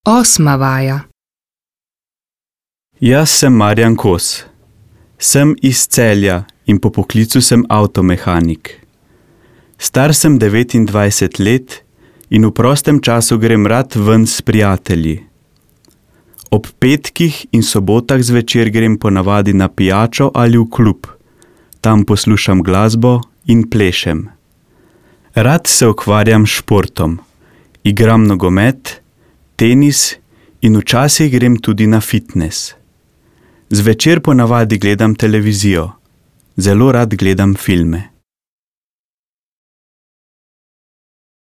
8. vaja. Jaz sem Marjan Kos. Sem iz Celja in po poklicu sem avtomehanik. Star sem 29 let in v prostem času grem rad ven s prijatelji. Ob petkih in sobotah zvečer grem ponavadi na pijačo ali v klub. Tam poslušam glasbo in plešem. Rad se ukvarjam s športom. Igram nogomet, tenis in včasih grem tudi na fitnes. Zvečer ponavadi gledam televizijo. Zelo rad gledam filme.